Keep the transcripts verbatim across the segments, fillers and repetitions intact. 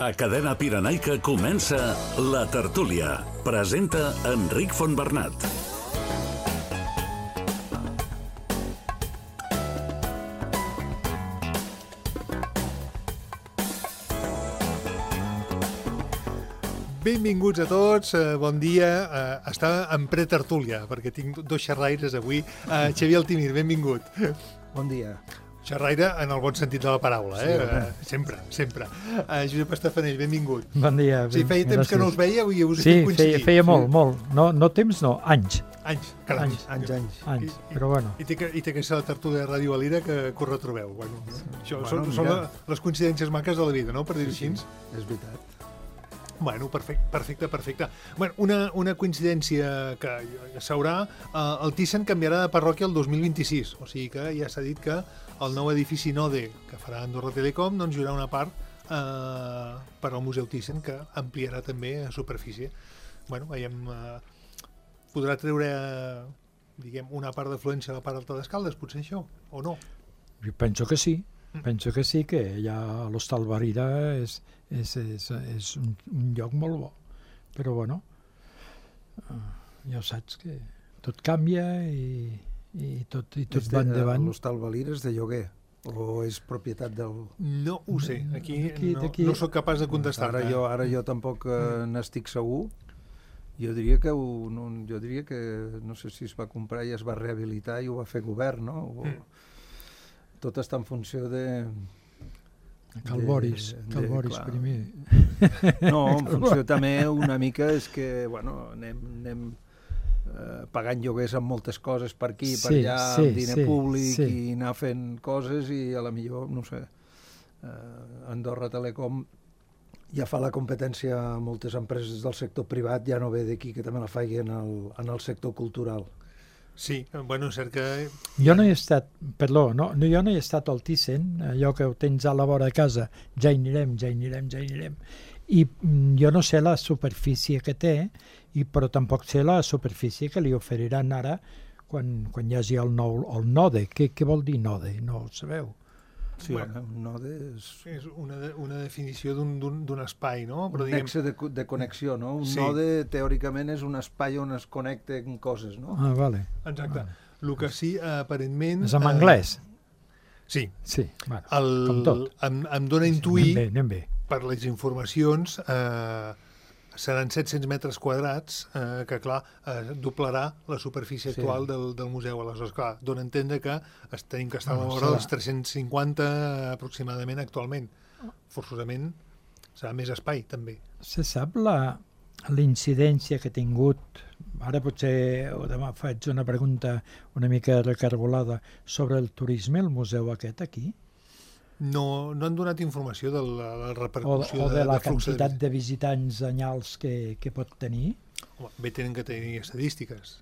A Cadena Pirenaica comença La Tertúlia. Presenta Enric Fontbernat. Benvinguts a tots, uh, bon dia. Uh, estava en pretertúlia, perquè tinc dos xerraires avui. Uh, Xavier Altimir, benvingut. Bon dia. Xerraire en el bon sentit de la paraula, eh? Sí, uh, sempre, sempre. Uh, Josep Estafanell, benvingut. Bon dia. Sí, feia temps gràcies. que no us veia i us Sí, estic coincidint. feia, feia molt, molt. No, no temps, no, anys. Anys, caram. Anys. Anys, anys. Anys, I- i- però bueno. I té que, i té que ser la tertúlia de Ràdio Valira que, que us retrobeu. Bueno, això, Bueno, són, són mira. les coincidències maques de la vida, no?, per dir-ho així. És veritat. Bueno, perfecte, perfecte, perfecte. Bueno, una, una coincidència que s'haurà... Eh, el Thyssen canviarà de parròquia el dos mil vint-i-sis, o sigui que ja s'ha dit que el nou edifici Node que farà Andorra Telecom doncs hi haurà una part eh, per al Museu Thyssen que ampliarà també a superfície. Bueno, veiem... Eh, podrà treure, diguem, una part d'afluència a la part alta d'Escaldes, potser això, o no? Jo penso que sí. Penso que sí, que ja l'Hostal Valira és, és, és, és un, un lloc molt bo. Però bueno, uh, ja saps que tot canvia i, i tot, i tot És va de- endavant. L'hostal Valira és de lloguer o és propietat del... No ho sé, aquí, D'aquí- no, d'aquí- no sóc capaç de contestar. Ara jo, ara jo tampoc eh, n'estic segur. Jo diria que ho, no, jo diria que no sé si es va comprar i es va rehabilitar i ho va fer govern, no? O, Mm. Tot està en funció de... Cal de- Boris, de- Cal Boris clar. primer. No, en funció també una mica és que, bueno, anem, anem eh, pagant lloguers amb moltes coses per aquí, per Sí, allà, sí, amb diner sí, públic sí. i anar fent coses i a la millor, no sé, eh, Andorra Telecom ja fa la competència a moltes empreses del sector privat, ja no ve d'aquí que també la faci en el, en el sector cultural. Sí, bueno, és cert que... Jo no he estat, perdó, no, no, jo no he estat al Thyssen, allò que ho tens a la vora de casa, ja hi anirem, ja hi anirem, ja hi anirem. I mm, jo no sé la superfície que té, i, però tampoc sé la superfície que li oferiran ara quan, quan hi hagi el nou el node. Què, què vol dir node? No ho sabeu. Sí, Bueno. home, un node és És una, de- una definició d'un- d'un d'un espai, no? un nexe de, co- de connexió, no? Un Sí. node, teòricament, és un espai on es connecten coses, no? Ah, vale. Exacte. El que sí, aparentment... És en eh, anglès? Sí. Sí, bueno, El, com tot. em, em dona a Anem intuir, bé, anem bé. per les informacions, eh, seran set-cents metres quadrats, eh, que, clar, eh, doblarà la superfície Sí. actual del, del museu. Aleshores, clar, dona a entendre que es, tenim que estar a la Bueno, vora serà- dels tres-cents cinquanta aproximadament actualment. Forçosament serà més espai, també. Se sap la l'incidència que ha tingut, ara potser o demà faig una pregunta una mica recargolada, sobre el turisme, el museu aquest aquí? No, no han donat informació de la, la O, repercussió o de la flux quantitat de visitants anyals que, que pot tenir? Home, bé, tenen que tenir estadístiques.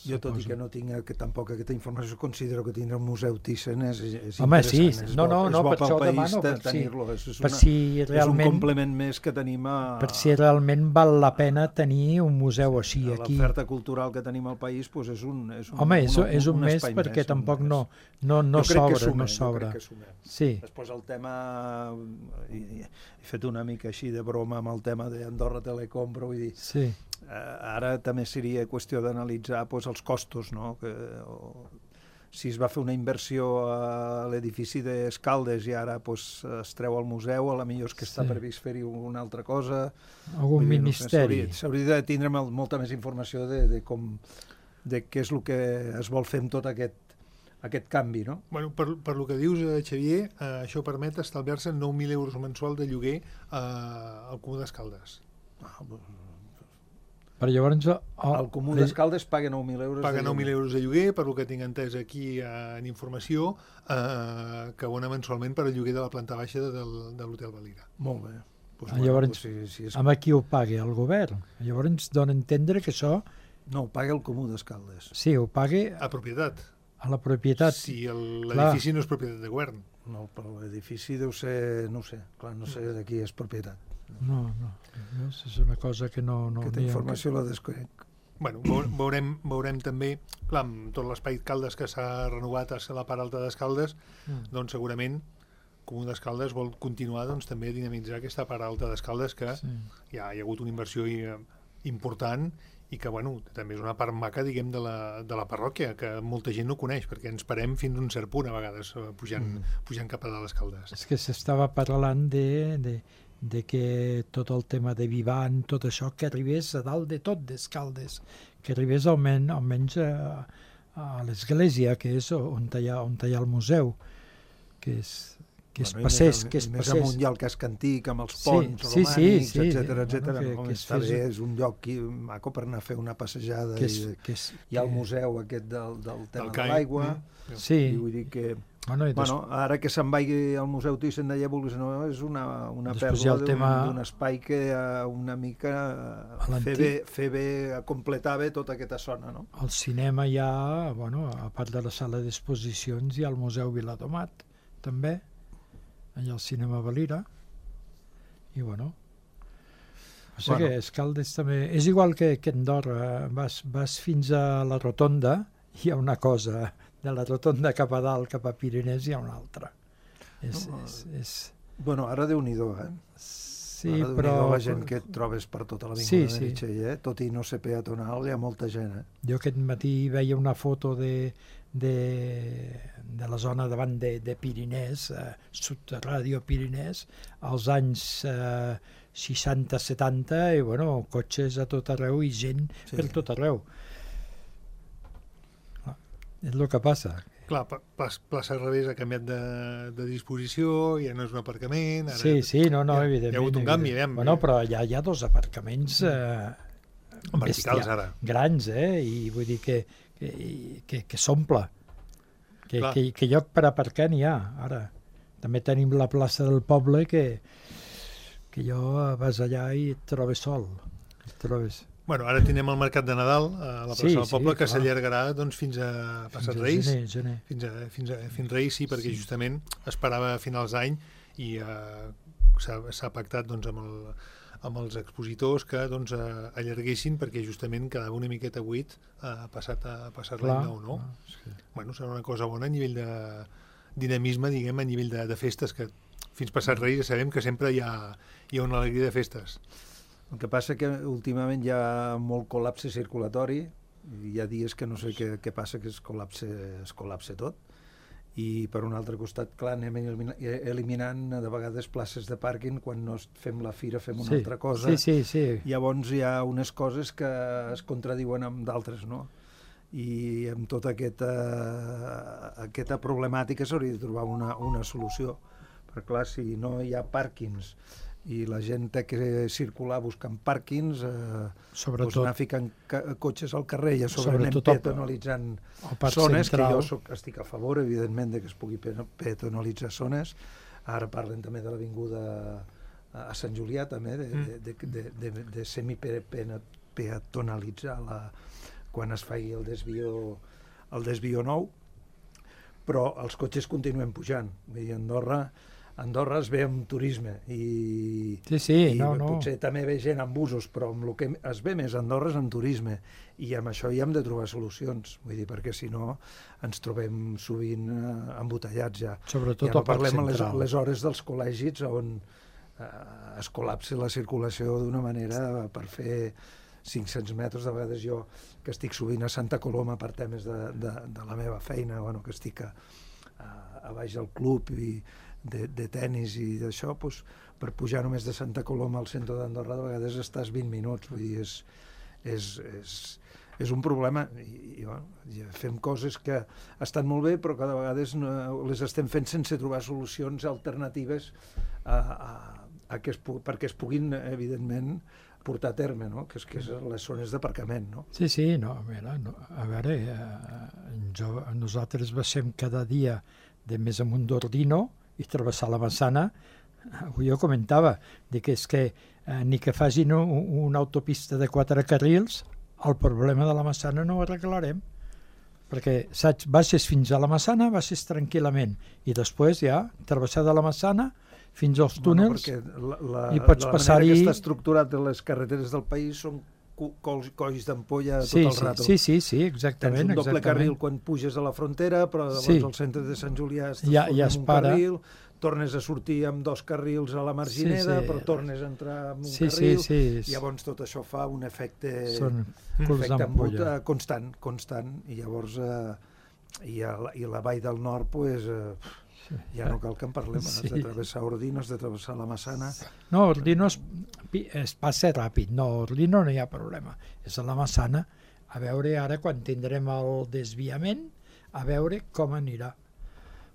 Jo, tot i que no tinc que tampoc aquesta informació, considero que tindre un museu Thyssen és, és Home, sí, interessant. És no, bo, no, és no, bo per pel això ho país demano, de per si- tenir-lo. És, és, Per una, si és un realment, complement més que tenim a, per si realment val la pena tenir un museu així a aquí. l'oferta cultural que tenim al país, doncs és un, és un, Home, és, una, és un, mes espai perquè més, tampoc un no, mes. no, no Jo crec que sobra, sumem, no jo sobra. crec que sumem. Sí, Després el tema, i- i- he fet una mica així de broma amb el tema d'Andorra Telecom, però vull dir, sí. eh, ara també seria qüestió d'analitzar doncs, els costos, no? Que, o, si es va fer una inversió a l'edifici d'Escaldes i ara doncs, es treu al museu, a la millor és que està Sí. previst fer-hi una altra cosa. Algun Vull dir, no sé, ministeri. s'hauria- S'hauria de tindre mol- molta més informació de, de com de què és el que es vol fer amb tot aquest, aquest canvi, no? Bueno, per, per lo que dius, eh, Xavier, eh, això permet estalviar-se nou mil euros mensual de lloguer eh, al Comú d'Escaldes. Ah, Però llavors... El, el Comú d'Escaldes paga nou mil euros. Paga de nou mil lloguer. euros de lloguer, per lo que tinc entès aquí eh, en informació, eh, que abona mensualment per al lloguer de la planta baixa de, del, de l'Hotel Valira. Molt bé. Pues, Ah, llavors- pues, si, si és... Amb qui ho pagui? El govern. Llavors dona a entendre que això, No, ho paga el Comú d'Escaldes. sí, ho pagui A propietat. a la propietat. Si el- Clar. l'edifici no és propietat de govern. No, però l'edifici deu ser, no ho sé, clar, no sé de qui és propietat. No, no. Veus? És una cosa que no... no Aquesta n'hi ha- informació la desconec. Bueno, veu- veurem, veurem també, clar, amb tot l'espai Caldes que s'ha renovat a la part alta d'Escaldes, Mm. doncs segurament Comú d'Escaldes vol continuar doncs, també a dinamitzar aquesta part alta d'Escaldes que sí. ja hi ha hagut una inversió important i que bueno, també és una part maca diguem, de, la, de la parròquia que molta gent no coneix perquè ens parem fins a un cert punt a vegades pujant, mm. pujant cap a dalt Escaldes. És que s'estava parlant de, de, de que tot el tema de Vivant, tot això, que arribés a dalt de tot d'Escaldes, que arribés almenys, almenys a, a l'església, que és on hi ha, on hi ha el museu, que és... que es bueno, passés, més, que es més passés. amunt hi ha el casc antic amb els ponts sí, romànics, sí, sí, etcètera, sí, etcètera. bueno, que, no? que Està fes... bé, és un lloc qui, maco per anar a fer una passejada. Que és, i, que és, hi ha el que... museu aquest del, del tema del de l'aigua. Mm. Sí. I vull dir que... Bueno, i des... bueno, ara que se'n vagi al Museu Thyssen d'allà, vulguis no, és una, una pèrdua d'un tema... espai que uh, una mica uh, fer, bé, fer bé, completar bé tota aquesta zona, no? Al cinema hi ha, bueno, a part de la sala d'exposicions, hi ha el Museu Viladomat, també, allà al cinema Valira, i bueno, o sigui bueno. que Escaldes també, és igual que, que Andorra, vas, vas fins a la Rotonda, hi ha una cosa, de la Rotonda cap a dalt, cap a Pirinès, hi ha una altra. És, no, és, és... Bueno, ara Déu-n'hi-do, eh? Sí, ara però... la gent que et trobes per tota la vinguda sí, de Meritxell, eh? Tot i no ser peatonal, hi ha molta gent, eh? Jo aquest matí veia una foto de, de, de la zona davant de, de Pirinès, eh, Subradio Pirinès, als anys eh, seixanta setanta, i bueno, cotxes a tot arreu i gent sí. per tot arreu. Ah, és el que passa. Clar, plaça Revés ha canviat de, de disposició, ja no és un aparcament... Ara sí, sí, no, no, ja, evidentment. Hi ha hagut un canvi, eh? Bueno, però ja hi ha dos aparcaments eh, verticals, ara. Grans, eh? I vull dir que, que, que, que s'omple. Que, que, que lloc per aparcar n'hi ha, ara. També tenim la plaça del poble que, que jo vas allà i et trobes sol. Et trobes... Bueno, ara tenim el mercat de Nadal a la plaça sí, del poble, sí, que s'allargarà doncs, fins a passat fins Reis. Gener, gener. Fins a, fins a fins Reis, sí, perquè sí. justament esperava a finals d'any i eh, s'ha pactat doncs, amb, el, amb els expositors que doncs, eh, allarguessin perquè justament quedava una miqueta buit eh, passat, a, passat l'any nou, no? Ah, sí. Bueno, serà una cosa bona a nivell de dinamisme, diguem, a nivell de, de festes, que fins passat Reis ja sabem que sempre hi ha, hi ha una alegria de festes. El que passa que últimament hi ha molt col·lapse circulatori, hi ha dies que no sé què, què passa, que es col·lapse, es col·lapse tot, i per un altre costat, clar, anem eliminant de vegades places de pàrquing, quan no fem la fira fem una sí, altra cosa, sí, sí, sí. Llavors hi ha unes coses que es contradiuen amb d'altres, no? I amb tota aquesta, aquesta problemàtica s'hauria de trobar una, una solució, perquè clar, si no hi ha pàrquings i la gent té que circular buscant pàrquings, eh, doncs anar ficant cotxes al carrer i a sobre anem peatonalitzant zones, central. Que jo soc, estic a favor, evidentment, de que es pugui peatonalitzar zones. Ara parlen també de l'avinguda a Sant Julià, també, de, mm. de, de, de, de, de semi-peatonalitzar la, quan es faci el desvió, el desvió nou, però els cotxes continuen pujant. Vull dir, Andorra... Andorra es ve amb turisme i, sí, sí, i no, no. potser també ve gent amb busos, però amb el que es ve més a Andorra és amb turisme i amb això hi hem de trobar solucions, vull dir, perquè si no ens trobem sovint eh, embotellats ja. Sobretot ja no al Parc parlem les, Central. les hores dels col·legis on eh, es col·lapsa la circulació d'una manera per fer cinc-cents metres, de vegades jo que estic sovint a Santa Coloma per temes de, de, de la meva feina, bueno, que estic a, a, a baix del club i De, de tennis i d'això, doncs, per pujar només de Santa Coloma al centre d'Andorra de vegades estàs vint minuts, vull dir, és, és, és, és un problema i, i, bueno, i fem coses que estan molt bé però que de vegades no, les estem fent sense trobar solucions alternatives a, a, a que es, perquè es puguin, evidentment, portar a terme, no? que és que és les zones d'aparcament. No? Sí, sí, no, a veure, no, a veure eh, jo, nosaltres baixem cada dia de més amunt d'Ordino i travessar la Massana, avui jo comentava, de que és que eh, ni que facin un, una autopista de quatre carrils, el problema de la Massana no ho arreglarem, perquè saps, baixes fins a la Massana, baixes tranquil·lament, i després ja, travessar de la Massana fins als túnels, bueno, la, la, i pots passar-hi... La manera que està estructurat de les carreteres del país són colls d'ampolla sí, tot el rato. Sí, sí, sí, exactament. Tens un doble exactament. carril quan puges a la frontera, però llavors sí. al centre de Sant Julià estàs ja, ja en un para. Carril, tornes a sortir amb dos carrils a la Margineda, sí, sí. però tornes a entrar amb un sí, carril, sí, sí. i llavors tot això fa un efecte, Són efecte embut, uh, constant, constant, i llavors uh, i, a la, i la Vall del Nord, pues, uh, sí. ja no cal que en parlem, sí. has de travessar Ordino, has de travessar la Massana. No, Ordino es, es passa ràpid, no, Ordino no hi ha problema, és a la Massana, a veure ara quan tindrem el desviament, a veure com anirà.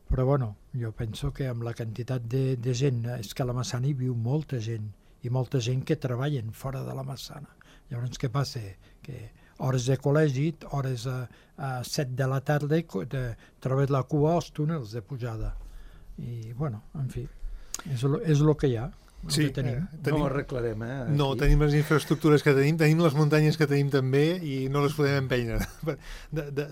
Però bueno, jo penso que amb la quantitat de, de gent, és que a la Massana hi viu molta gent, i molta gent que treballen fora de la Massana. Llavors què passa? Que hores de col·legi, hores a, a set de la tarda, de, trobes la cua als túnels de pujada. I bueno, en fi, és el, és el que hi ha. Sí, tenim. Eh, tenim. No ho arreglarem, eh? Aquí. No, tenim les infraestructures que tenim, tenim les muntanyes que tenim també i no les podem empènyer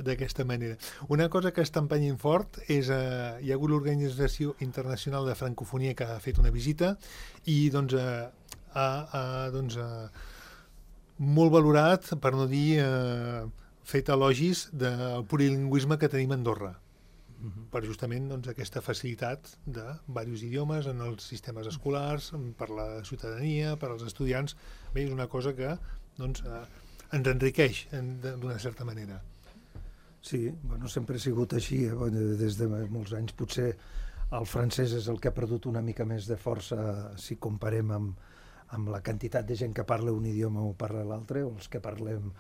d'aquesta manera. Una cosa que està empenyent fort és eh, hi ha hagut l'Organització Internacional de Francofonia que ha fet una visita i doncs eh, ha, ha doncs, eh, molt valorat, per no dir eh, fet elogis del plurilingüisme que tenim a Andorra, per justament doncs, aquesta facilitat de diversos idiomes en els sistemes escolars, per la ciutadania, per als estudiants. Bé, és una cosa que doncs, eh, ens enriqueix d'una certa manera. Sí, bueno, sempre ha sigut així, eh? Bueno, des de molts anys. Potser el francès és el que ha perdut una mica més de força si comparem amb, amb la quantitat de gent que parla un idioma o parla l'altre, o els que parlem.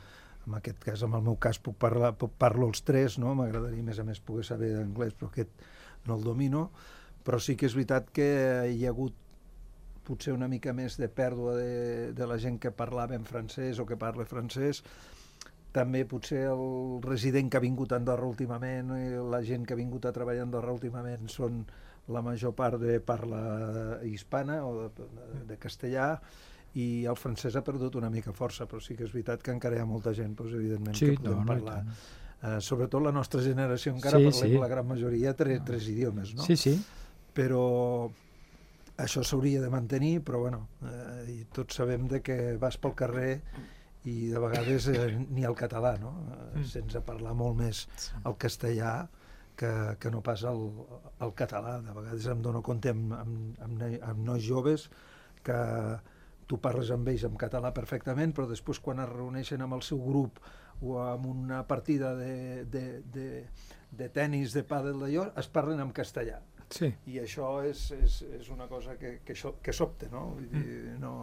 En aquest cas, en el meu cas, puc parlar, puc parlo els tres, no? M'agradaria, a més a més, poder saber d'anglès, però aquest no el domino. Però sí que és veritat que hi ha hagut potser una mica més de pèrdua de, de la gent que parlava en francès o que parla francès. També potser el resident que ha vingut a Andorra últimament i la gent que ha vingut a treballar a Andorra últimament són la major part de parla hispana o de, de castellà, i el francès ha perdut una mica força, però sí que és veritat que encara hi ha molta gent, doncs, evidentment, sí, que podem no, parlar. No, uh, sobretot la nostra generació encara sí, parlem sí. la gran majoria tres, tres idiomes, no? Sí, sí. Però això s'hauria de mantenir, però bueno, uh, i tots sabem de que vas pel carrer i de vegades eh, ni el català, no? Uh, sense parlar molt més el castellà que, que no pas el, el català. De vegades em dono compte amb, amb, amb, amb nois joves que tu parles amb ells en català perfectament, però després quan es reuneixen amb el seu grup o amb una partida de, de, de, de tennis, de pàdel d'allò, es parlen en castellà. Sí. I això és, és, és una cosa que, que, que sobte, no? Vull dir, no...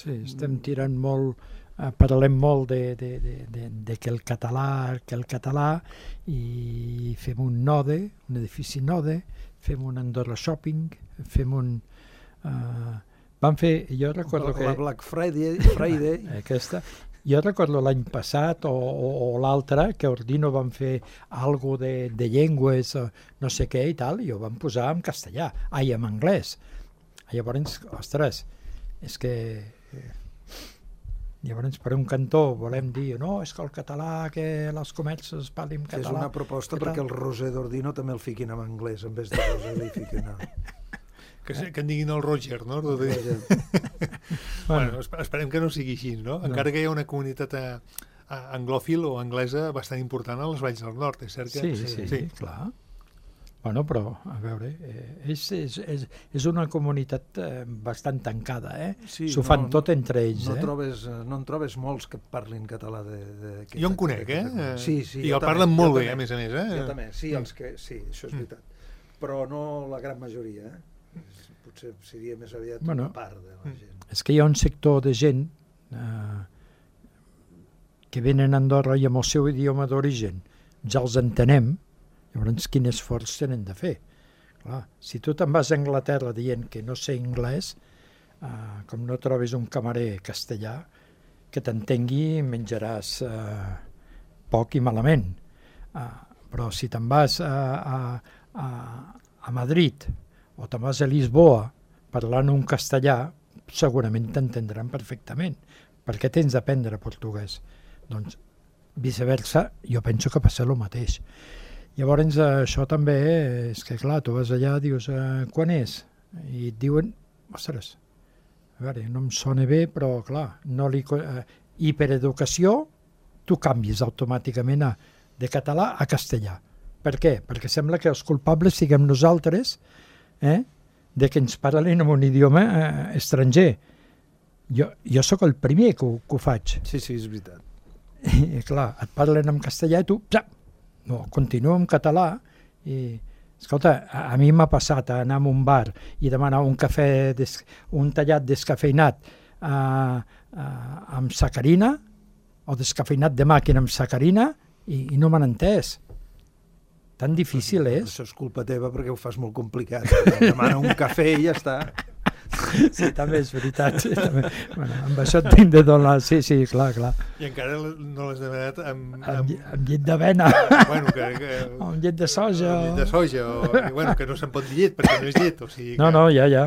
Sí, estem tirant molt, eh, parlem molt de, de, de, de, de que el català, que el català, i fem un node, un edifici node, fem un Andorra Shopping, fem un... Eh, Van fer, jo recordo que... La Black Friday. Friday. Aquesta. Jo recordo l'any passat o, o, o l'altre que a Ordino van fer algo de, de llengües, no sé què i tal, i ho van posar en castellà, ai, en anglès. Llavors, ostres, és que... Llavors, per un cantó volem dir, no, és que el català, que les comerces parlin català... És una proposta perquè el Roser d'Ordino també el fiquin en anglès, en vez de Roser li fiquin en... Que, que en diguin el Roger, no? Roger. Bueno, esperem que no sigui així, no? no? Encara que hi ha una comunitat a, a anglòfil o anglesa bastant important a les Valls del Nord, és cert que... Sí, sí, sí, sí. clar. Bueno, però, a veure, eh, és, és, és, és una comunitat eh, bastant tancada, eh? Sí, s'ho fan no, tot entre ells, no eh? Trobes, no en trobes molts que parlin català de... de jo en conec, eh? Sí, sí. I el parlen molt bé, a més a més, eh? Jo també, sí, els que, sí, això és veritat. Però no la gran majoria, eh? Potser seria més aviat bueno, una part de la gent. És que hi ha un sector de gent eh, que venen a Andorra i amb el seu idioma d'origen ja els entenem, llavors quin esforç tenen de fer. Clar, si tu te'n vas a Anglaterra dient que no sé anglès, eh, com no trobis un camarer castellà que t'entengui, menjaràs eh, poc i malament. Eh, però si te'n vas a, a, a, a Madrid o te'n vas a Lisboa parlant un castellà, segurament t'entendran perfectament. Per què tens d'aprendre portuguès? Doncs, viceversa, jo penso que passa el mateix. Llavors, això també és que, clar, tu vas allà, dius, eh, quan és? I et diuen, ostres, a veure, no em sona bé, però, clar, no li, eh, hipereducació, tu canvies automàticament a, de català a castellà. Per què? Perquè sembla que els culpables siguem nosaltres, eh? de que ens parlen en un idioma eh, estranger. Jo, jo sóc el primer que ho, que ho faig. Sí, sí, és veritat. I clar, et parlen en castellà i tu, ja, no, continuo en català i, escolta, a, a mi m'ha passat a anar a un bar i demanar un cafè, des, un tallat descafeinat uh, uh, amb sacarina o descafeinat de màquina amb sacarina i, i no m'han entès. Tan difícil és. Això és culpa teva perquè ho fas molt complicat. Demana un cafè i ja està. Sí, també és veritat. Sí, també. Bueno, amb això et tinc de donar... Sí, sí, clar, clar. I encara no l'has demanat amb... Amb, amb... amb llet d'avena. Bueno, que, que... O amb llet de soja. Amb llet de soja, o... bueno, que no se'n pot dir llet, perquè no és llet, o sigui que... No, no, ja, ja.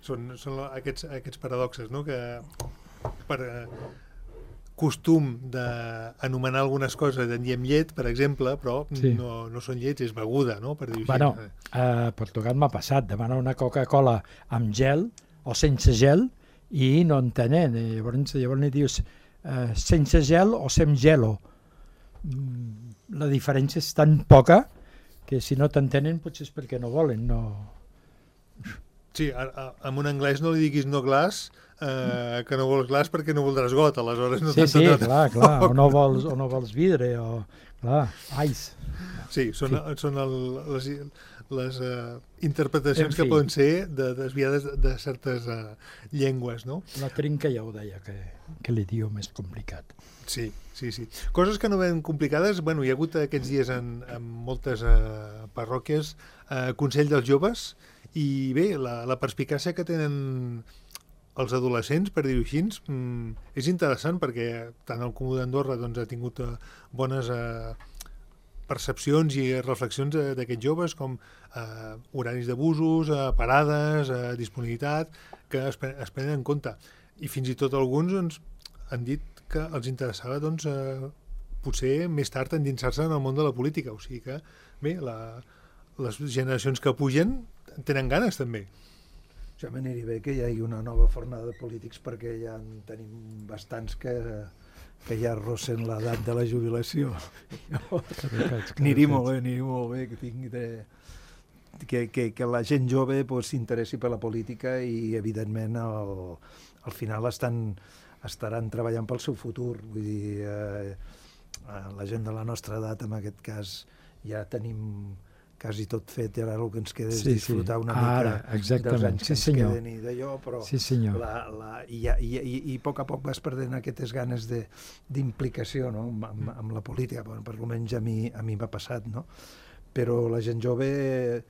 Són, són aquests, aquests paradoxes, no?, que per eh, costum d'anomenar algunes coses en diem llet, per exemple, però Sí. no, no són llets, és beguda, no?, per dir-ho Bueno, així. a Portugal m'ha passat, demanar una Coca-Cola amb gel o sense gel i no en tenen. I llavors, llavors li dius eh, sense gel o sem gelo. Mm, La diferència és tan poca que si no t'entenen potser és perquè no volen. No... Sí, a, a, amb un anglès no li diguis no glaç, eh, que no vols glaç perquè no voldràs got, aleshores no Sí, sí, t'entendrà. clar, clar. O no vols, o no vols vidre, o... Clar, ice. Sí, són, Sí. són el, les, les uh, interpretacions En fi. que poden ser de, desviades de certes uh, llengües, no? La trinca ja ho deia, que, que l'idioma és complicat. Sí, sí, sí. Coses que no ven complicades, bueno, hi ha hagut aquests dies en, en moltes uh, parròquies uh, Consell dels Joves, i bé, la, la perspicàcia que tenen els adolescents, per dir-ho així, mm, és interessant perquè tant el Comú d'Andorra doncs, ha tingut uh, bones uh, percepcions i reflexions uh, d'aquests joves, com uh, horaris d'abusos, uh, parades, uh, disponibilitat, que es, pre es prenen en compte. I fins i tot alguns doncs, han dit que els interessava doncs, uh, potser més tard endinsar-se en el món de la política. O sigui que, bé, la, les generacions que pugen tenen ganes també. Ja m'aniria bé que hi hagi una nova fornada de polítics perquè ja en tenim bastants que, que ja arrossen l'edat de la jubilació. Aniria molt bé, aniria molt bé que tingui de, que, que, que la gent jove pues, s'interessi per la política i evidentment al, al final estan, estaran treballant pel seu futur. Vull dir, eh, la gent de la nostra edat en aquest cas ja tenim quasi tot fet i ara el que ens queda és Sí, sí. disfrutar una Ara, mica exactament. dels anys que Sí, ens senyor. queden i d'allò, però Sí, senyor. la, la, i, i, i, i a poc a poc vas perdent aquestes ganes de- d'implicació, no? amb, amb, amb la política, bueno, per almenys a mi a mi m'ha passat, no? Però la gent jove eh,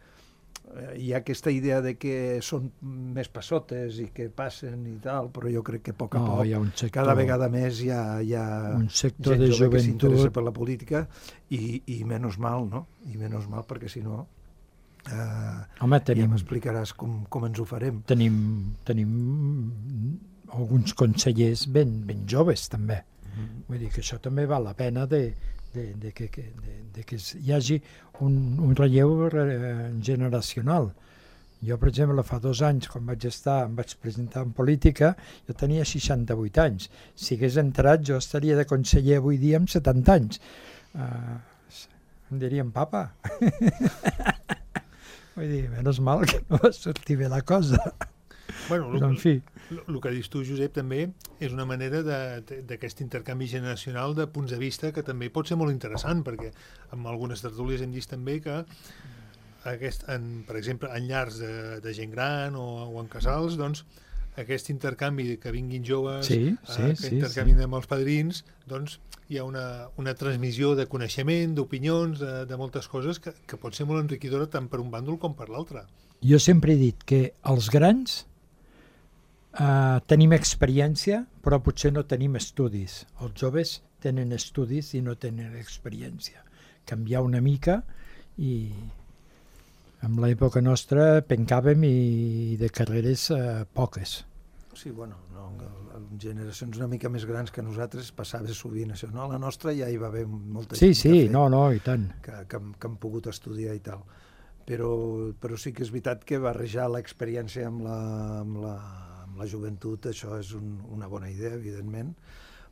hi ha aquesta idea de que són més passotes i que passen i tal, però jo crec que a poc a No, poc hi ha un sector, cada vegada més hi ha, hi ha un sector gent de jove que s'interessa joventut. per la política i, i menys mal, no? I menys mal perquè si no eh, Home, ja tenim, m'explicaràs com, com ens ho farem. tenim, tenim alguns consellers ben, ben joves, també. Vull dir que això també val la pena de, de, de, que, que, de, de que hi hagi un, un relleu eh, generacional. Jo, per exemple, fa dos anys, quan vaig estar, em vaig presentar en política, jo tenia seixanta-vuit anys. Si hagués entrat, jo estaria de conseller avui dia amb setanta anys. Uh, em dirien, papa. Vull dir, menys mal que no va sortir bé la cosa. Bueno, Però, en fi, el que dius tu, Josep, també és una manera d'aquest intercanvi generacional de punts de vista que també pot ser molt interessant, perquè en algunes tertúlies hem vist també que aquest, en, per exemple, en llars de, de gent gran o, o en casals, doncs, aquest intercanvi que vinguin joves, Sí, sí, eh, que sí, intercanvin amb els padrins, doncs hi ha una, una transmissió de coneixement, d'opinions, de, de moltes coses que, que pot ser molt enriquidora tant per un bàndol com per l'altre. jo sempre he dit que els grans Uh, tenim experiència, però potser no tenim estudis. Els joves tenen estudis i no tenen experiència. Canviar una mica i en l'època nostra pencàvem i de carreres uh, poques. Sí, bueno, no, en generacions una mica més grans que nosaltres passava sovint això. No? A la nostra ja hi va haver molta Sí, gent sí, que ha fet, no, no, i tant. que, que, han- que han pogut estudiar i tal. Però, però sí que és veritat que barrejar l'experiència amb la, amb la la joventut, això és un, una bona idea, evidentment,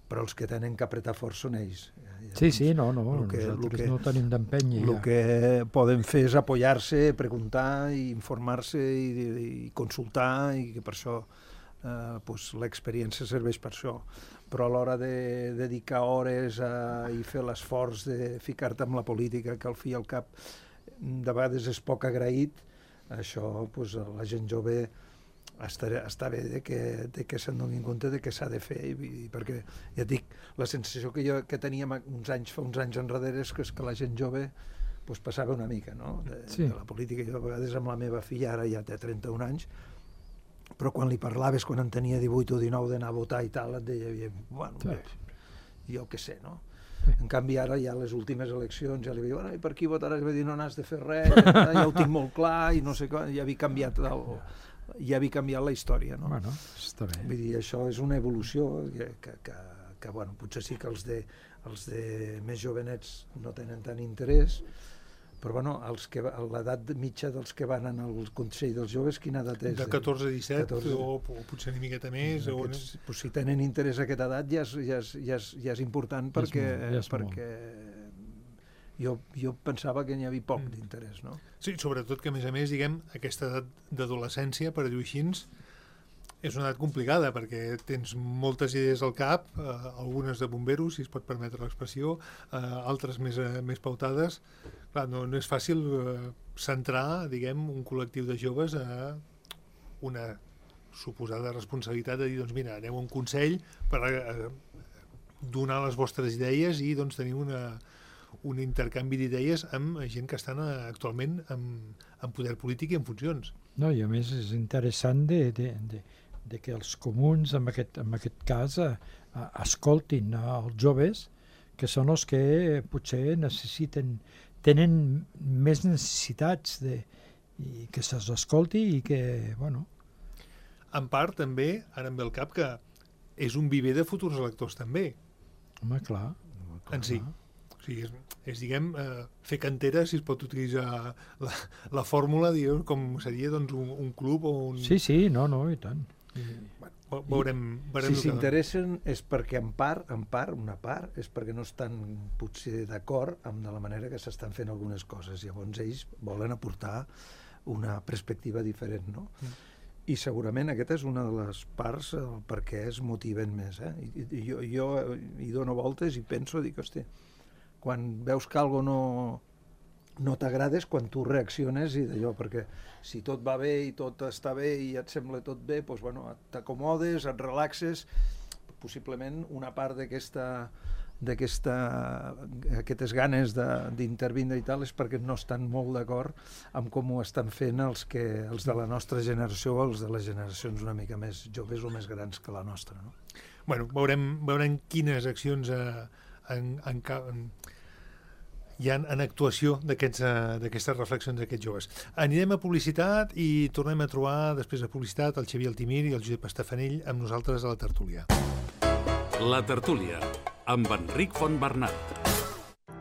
però els que tenen que apretar fort són ells. Ja, Sí, sí, no, no, el que, nosaltres el que, no tenim d'empènyer. El ja. que poden fer és apoyar-se, preguntar i informar-se i, i consultar, i que per això eh, pues, l'experiència serveix per això. Però a l'hora de dedicar hores a, i fer l'esforç de ficar-te amb la política, que al fi i al cap de vegades és poc agraït, això pues, la gent jove està, està bé de que, de que se'n donin compte de què s'ha de fer, i, i perquè, ja et dic, la sensació que jo que teníem uns anys, fa uns anys enrere és que, és que la gent jove pues, passava una mica, no? De, sí. de la política. Jo a vegades amb la meva filla, ara ja té trenta-un anys, però quan li parlaves, quan en tenia divuit o dinou d'anar a votar i tal, et deia, bueno, sí. bé, jo què sé, no? Sí. En canvi, ara ja les últimes eleccions ja li vaig dir, bueno, i per qui votaràs? Va dir, no n'has de fer res, ja, ja ho tinc molt clar, i no sé com, ja havia canviat el, ja havia canviat la història, no? Bueno, està bé. Vull dir, això és una evolució que, que, que, que bueno, potser sí que els de, els de més jovenets no tenen tant interès, però bueno, els que, l'edat mitja dels que van al Consell dels Joves, quina edat és? De catorze a disset, catorze o, o potser una miqueta més. Aquests, o... pues, si tenen interès a aquesta edat ja és, ja és, ja és, ja és important, perquè, és molt, és perquè jo, jo pensava que n'hi havia poc mm. d'interès, no? Sí, sobretot que a més a més, diguem, aquesta edat d'adolescència, per dir-ho així, és una edat complicada, perquè tens moltes idees al cap, eh, algunes de bomberos, si es pot permetre l'expressió, eh, altres més, eh, més pautades. Clar, no, no és fàcil eh, centrar, diguem, un col·lectiu de joves a una suposada responsabilitat de dir, doncs mira, aneu a un consell per eh, donar les vostres idees i doncs tenir una, un intercanvi d'idees amb gent que estan eh, actualment en, en poder polític i en funcions. No, i a més és interessant de, de, de, de que els comuns, en aquest, en aquest cas, eh, escoltin els joves, que són els que potser necessiten, tenen més necessitats de, i que se'ls escolti i que, bueno... En part, també, ara em ve al cap, que és un viver de futurs electors, també. Home, clar. clar en si. O sigui, és, és diguem, eh, fer cantera, si es pot utilitzar la, la fórmula, diguem, com seria doncs, un, un club o un... Sí, sí, no, no, i tant. I... Bueno, veurem, veurem si s'interessen és perquè en part, en part, una part, és perquè no estan potser d'acord amb de la manera que s'estan fent algunes coses. Llavors ells volen aportar una perspectiva diferent, no? Mm. I segurament aquesta és una de les parts per què es motiven més. Eh? I, i jo, jo hi dono voltes i penso, dic, hosti, quan veus que algo no, no t'agrada és quan tu reacciones i d'allò, perquè si tot va bé i tot està bé i et sembla tot bé, doncs, bueno, t'acomodes, et relaxes, possiblement una part d'aquesta d'aquesta aquestes ganes d'intervindre i tal és perquè no estan molt d'acord amb com ho estan fent els, que, els de la nostra generació o els de les generacions una mica més joves o més grans que la nostra, no? Bueno, veurem, veurem quines accions eh, en, en, en, hi ha en actuació d'aquestes reflexions d'aquests joves. Anirem a publicitat i tornem a trobar després de publicitat el Xavier Altimir i el Josep Estafanell amb nosaltres a la tertúlia. La tertúlia amb Enric Fontbernat.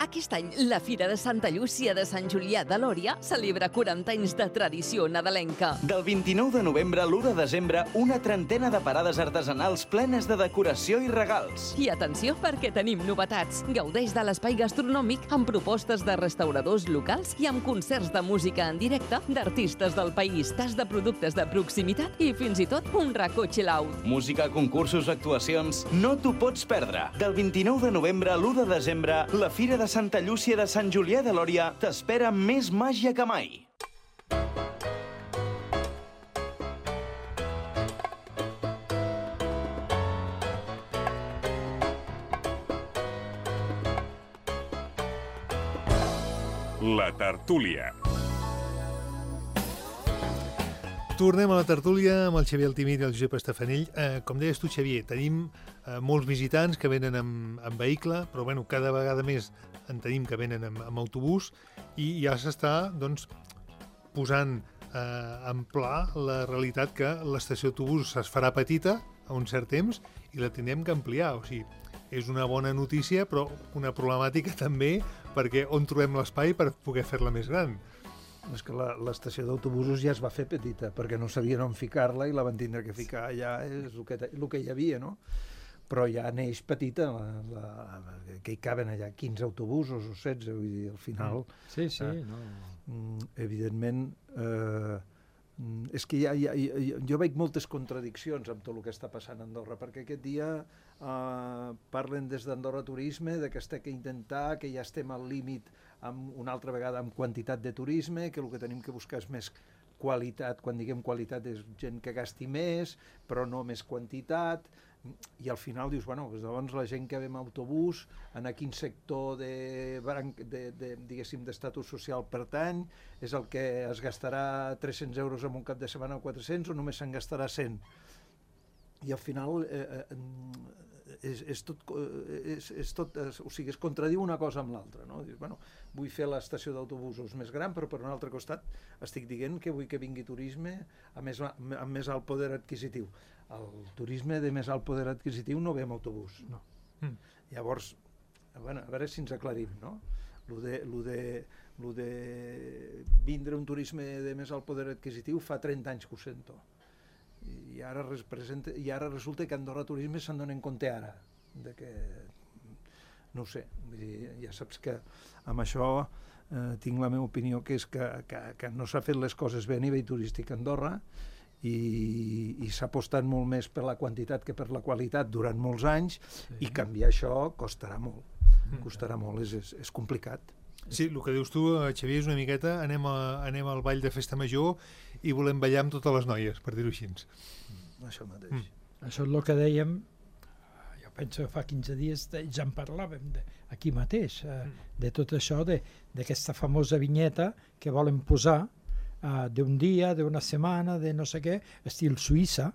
Aquest any, la Fira de Santa Llúcia de Sant Julià de Lòria celebra quaranta anys de tradició nadalenca. Del vint-i-nou de novembre a l'u de desembre, una trentena de parades artesanals plenes de decoració i regals. I atenció, perquè tenim novetats. Gaudeix de l'espai gastronòmic amb propostes de restauradors locals i amb concerts de música en directe d'artistes del país, tas de productes de proximitat i fins i tot un racó chill-out. Música, concursos, actuacions... No t'ho pots perdre. Del vint-i-nou de novembre a l'u de desembre, la Fira de Santa Llúcia de Sant Julià de Lòria t'espera més màgia que mai. La tertúlia. Tornem a la tertúlia amb el Xavier Altimir i el Josep Estafanell. Eh, com deies tu, Xavier, tenim eh, molts visitants que venen amb, amb vehicle, però bueno, cada vegada més en tenim que venen amb, amb autobús i ja s'està doncs, posant eh, en pla la realitat que l'estació d'autobús es farà petita a un cert temps i la tindrem que ampliar. O sigui, és una bona notícia, però una problemàtica també, perquè on trobem l'espai per poder fer-la més gran? És que l'estació d'autobusos ja es va fer petita, perquè no sabien on ficar-la i la van tindre que ficar allà, és el que, el que hi havia, no? però ja neix petita, la, la, que hi caben allà quinze autobusos o setze, vull dir, al final... Sí, sí, eh, no... Evidentment, eh, és que ja, ja, ja, jo veig moltes contradiccions amb tot el que està passant a Andorra, perquè aquest dia eh, parlen des d'Andorra Turisme de que es té que intentar, que ja estem al límit amb, una altra vegada amb quantitat de turisme, que el que tenim que buscar és més qualitat. Quan diguem qualitat és gent que gasti més, però no més quantitat, i al final dius, bueno, doncs la gent que ve amb autobús, en quin sector de, de, de, diguéssim, d'estatus social pertany, és el que es gastarà tres-cents euros en un cap de setmana o quatre-cents, o només se'n gastarà cent. I al final eh, és, és tot, és, és tot, o sigui, es contradiu una cosa amb l'altra, no? Dius, bueno, vull fer l'estació d'autobusos més gran, però per un altre costat estic dient que vull que vingui turisme amb més, amb més alt poder adquisitiu. El turisme de més alt poder adquisitiu no ve amb autobús, no. Mm. Llavors, bueno, a veure si ens aclarim, no? Lo de, lo de, lo de vindre un turisme de més alt poder adquisitiu fa trenta anys que ho sento. I ara, representa, i ara resulta que Andorra Turisme se'n donen compte ara, de que, no ho sé, vull dir, ja saps que amb això eh, tinc la meva opinió, que és que, que, que no s'ha fet les coses bé a nivell turístic a Andorra, i, i s'ha apostat molt més per la quantitat que per la qualitat durant molts anys, sí. I canviar això costarà molt, mm. costarà molt, és, és, és complicat. Sí, el que dius tu, Xavier, és una miqueta, anem, a, anem al ball de festa major i volem ballar amb totes les noies, per dir-ho així. Mm. Això mateix. Mm. Això és el que dèiem, jo penso que fa quinze dies ja en parlàvem de, aquí mateix, eh, mm. de tot això, d'aquesta famosa vinyeta que volen posar uh, d'un dia, d'una setmana, de no sé què, estil Suïssa.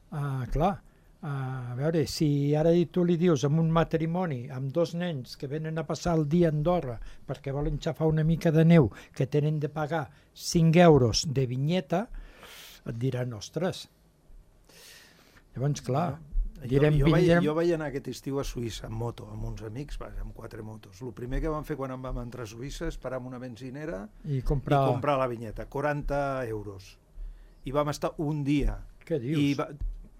Uh, clar, Uh, a veure, si ara tu li dius amb un matrimoni, amb dos nens que venen a passar el dia a Andorra perquè volen xafar una mica de neu, que tenen de pagar cinc euros de vinyeta, et diran, ostres. Llavors, clar, jo, direm... jo, vaig, direm... jo vaig anar aquest estiu a Suïssa amb moto, amb uns amics, amb quatre motos. El primer que vam fer quan vam entrar a Suïssa és parar amb una benzinera i comprar, i comprar la vinyeta, quaranta euros. I vam estar un dia. Què dius? I va,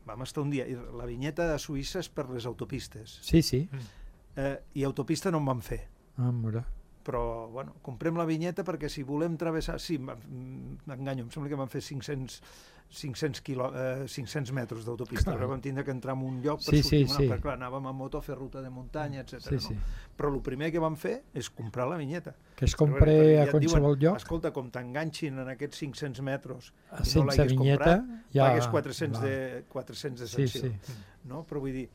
vam estar un dia. I la vinyeta de Suïssa és per les autopistes. Sí, sí. Eh, I autopista no en vam fer. Ah, mira. Però, bueno, comprem la vinyeta perquè si volem travessar... Sí, m'enganyo, em sembla que vam fer cinc-cents, cinc-cents, quilo, eh, cinc-cents metres d'autopista, però vam tindre que entrar en un lloc per sí, sortir, sí, sí. perquè clar, anàvem a moto a fer ruta de muntanya, etcètera. Sí, sí. No? Però el primer que vam fer és comprar la vinyeta. Que es compre ja a qualsevol diuen, lloc? Escolta, com t'enganxin en aquests cinc-cents metres i sense no l'hagués vinyeta, comprat, ja... pagues quatre-cents de, quatre-cents de sanció. Sí, sí. No? Però vull dir,